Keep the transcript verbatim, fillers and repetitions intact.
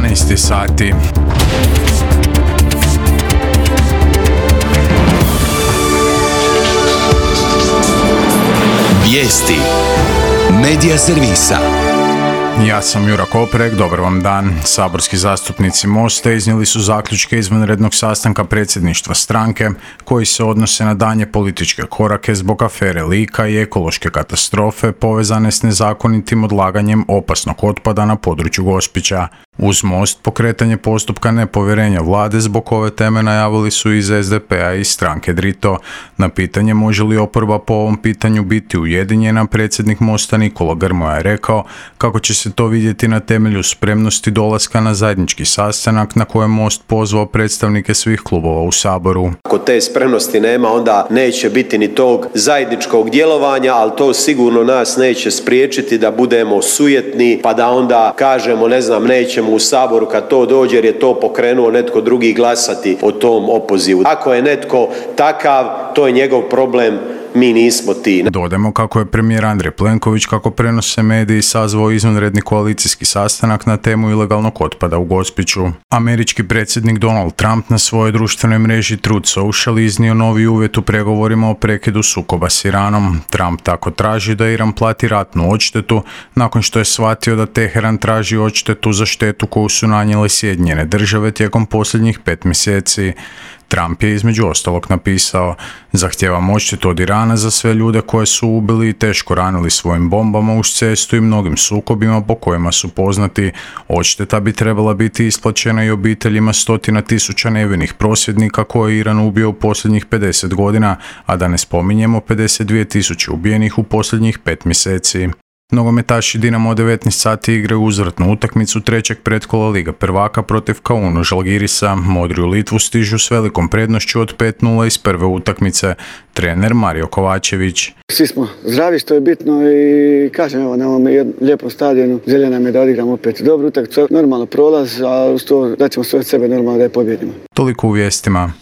jedanaest sati. Vijesti Medija servisa. Ja sam Jura Koprek, dobar vam dan. Saborski zastupnici Mosta iznijeli su zaključke izvanrednog sastanka predsjedništva stranke koji se odnose na daljnje političke korake zbog afere Lika i ekološke katastrofe povezane s nezakonitim odlaganjem opasnog otpada na području Gospića. Uz Most pokretanje postupka nepovjerenja vlade zbog ove teme najavili su iz es de pe a i stranke Drito. Na pitanje može li oporba po ovom pitanju biti ujedinjena, predsjednik Mosta Nikola Grmoja je rekao kako će se to vidjeti na temelju spremnosti dolaska na zajednički sastanak na kojem Most pozvao predstavnike svih klubova u Saboru. Ako te spremnosti nema, onda neće biti ni tog zajedničkog djelovanja, ali to sigurno nas neće spriječiti da budemo sujetni pa da onda kažemo, ne znam, nećemo u Saboru kad to dođe jer je to pokrenuo netko drugi glasati o tom opozivu. Ako je netko takav, to je njegov problem. Mi nismo ti. Dodajmo kako je premijer Andrej Plenković, kako prenose mediji, sazvao izvanredni koalicijski sastanak na temu ilegalnog otpada u Gospiću. Američki predsjednik Donald Trump na svojoj društvenoj mreži Truth Social iznio novi uvjet u pregovorima o prekidu sukoba s Iranom. Trump tako traži da Iran plati ratnu odštetu nakon što je shvatio da Teheran traži odštetu za štetu koju su nanijele Sjedinjene Države tijekom posljednjih pet mjeseci. Trump je između ostalog napisao: "Zahtijevam odštetu od Irana za sve ljude koje su ubili i teško ranili svojim bombama uz cestu i mnogim sukobima po kojima su poznati. Odšteta bi trebala biti isplaćena i obiteljima stotina tisuća nevinih prosvjednika koje je Iran ubio u posljednjih pedeset godina, a da ne spominjemo pedeset dvije tisuće ubijenih u posljednjih pet mjeseci." Nogometaši Dinamo devetnaest sati igraju uzvratnu utakmicu trećeg pretkola Lige prvaka protiv Kaunu Žalgirisa. Modri u Litvu stižu s velikom prednošću od pet nula iz prve utakmice. Trener Mario Kovačević: "Svi smo zdravi, što je bitno, i kažem, evo, na ovom lijepom stadionu želja nam je da odigramo opet dobru utakmicu, normalno prolaz, a uz to da ćemo sve od sebe normalno da je pobjedimo." Toliko u vijestima.